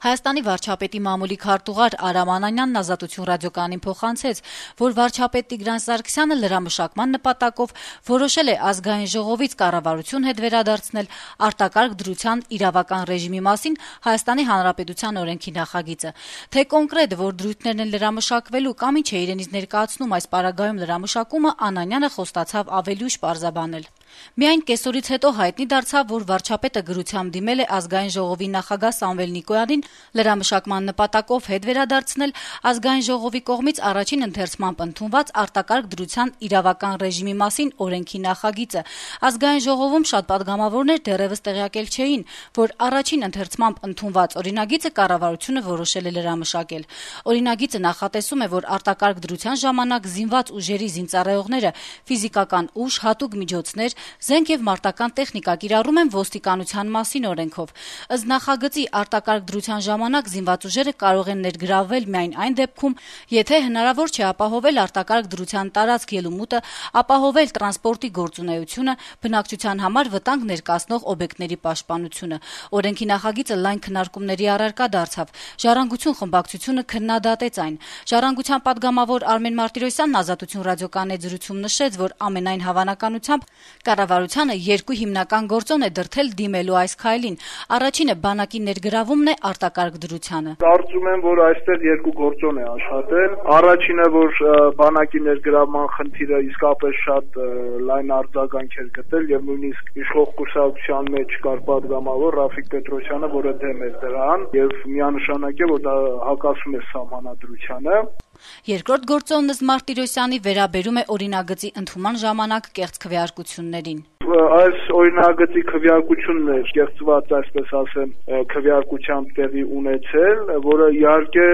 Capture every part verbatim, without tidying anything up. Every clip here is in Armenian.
Հայաստանի վարչապետի մամուլի քարտուղար Արամ Անանյանն Ազատություն ռադիոկայանին փոխանցեց, որ վարչապետ Տիգրան Սարգսյանը լրամշակման նպատակով որոշել է Ազգային ժողովից կառավարություն հետ վերադարձնել արտակարգ դրության իրավական ռեժիմի մասին Հայաստանի Հանրապետության օրենքի նախագիծը։ Թե կոնկրետ որ դրույթներն են լրամշակվելու կամ ինչ է իրենից ներկայացնում այս պարագայում լրամշակումը, Անանյանը խոստացավ ավելի ուշ պարզաբանել։ Միայն կեսօրից հետո հայտնի դարձավ, որ վարչապետը գրությամբ դիմել է Ազգային ժողովի նախագահ Սամվել Նիկոյանին լրամշակման նպատակով հետ վերադարձնել Ազգային ժողովի կողմից առաջին ընթերցմամբ ընդունված արտակարգ դրության իրավական ռեժիմի մասին օրենքի նախագիծը։ Ազգային ժողովում շատ պատգամավորներ դեռևս տեղյակել չէին, որ առաջին ընթերցմամբ ընդունված օրինագիծը կառավարությունը որոշել է լրամշակել։ Օրինագիծը նախատեսում է, որ արտակարգ դրության ժամանակ զինված ուժերի զինծառայողները ֆիզիկական ուժ, հատուկ միջոցներ, զենք եւ մարտական տեխնիկա կիրառում են ոստիկանության մասին օրենքով։ Ըստ նախագծի արտակարգ դրության ժամանակ զինված ուժերը կարող են ներգրավվել միայն այն դեպքում, եթե հնարավոր չէ ապահովել արտակարգ դրության տարածք ելումուտը, ապահովել տրանսպորտի գործունեությունը, բնակչության համար վտանգ ներկայացնող օբյեկտների պաշտպանությունը։ Օրենքի նախագիծը լայն քննարկումների առարկա դարձավ։ Ժառանգություն խմբակցությունը քննադատեց այն։ Ժառանգության պատգամավոր Արմեն Մարտիրոսյանն Ազատություն ռադիոկայանի հետ զրույցում նշեց, որ ամենայն հավանականությամբ կառավարությանը երկու հիմնական գործոն է դրդել դիմելու այս քայլին։ Առաջինը բանակի ներգրավումն է արտակարգ դրությանը։ Կարծում եմ, որ այստեղ երկու գործոն է աշխատել։ Առաջինը, որ բանակի ներգրավման խնդիրը իսկապես շատ լայն արձագանք էր գտել եւ նույնիսկ իշխող կուսակցության մեջ կար պատգամավոր Ռաֆիկ Պետրոսյանը, որը դեմ էր դրան եւ միանշանակ է, որ դա հակասում է սահմանադրությանը։ Երկրորդ գործոնն ըստ Մարտիրոսյանի վերաբերում է օրինագծի ընդունման ժամանակ կեղծ քվեարկություններին։ Այս օրինագծի քվեարկությունն է կեղծված, այսպես ասեմ, քվեարկությամբ տեղի ունեցել, որը իհարկե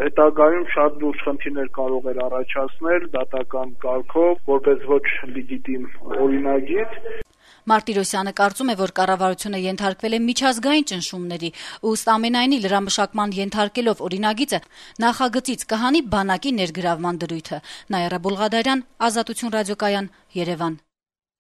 հետագայում շատ լուրջ խնդիրներ կարող էր առաջացնել դատական կարգով, որպես ոչ լեգիտիմ օրինագիծ։ Մարտիրոսյանը կարծում է, որ կառավարությունը ենթարկվել է միջազգային ճնշումների, ըստ ամենայնի լրամշակման ենթարկելով օրինագիծը նախագծից կհանի բանակի ներգրավման դրույթը։ Նաիրա Բուլղադարյան, Ազատություն ռադիոկայան, Երևան։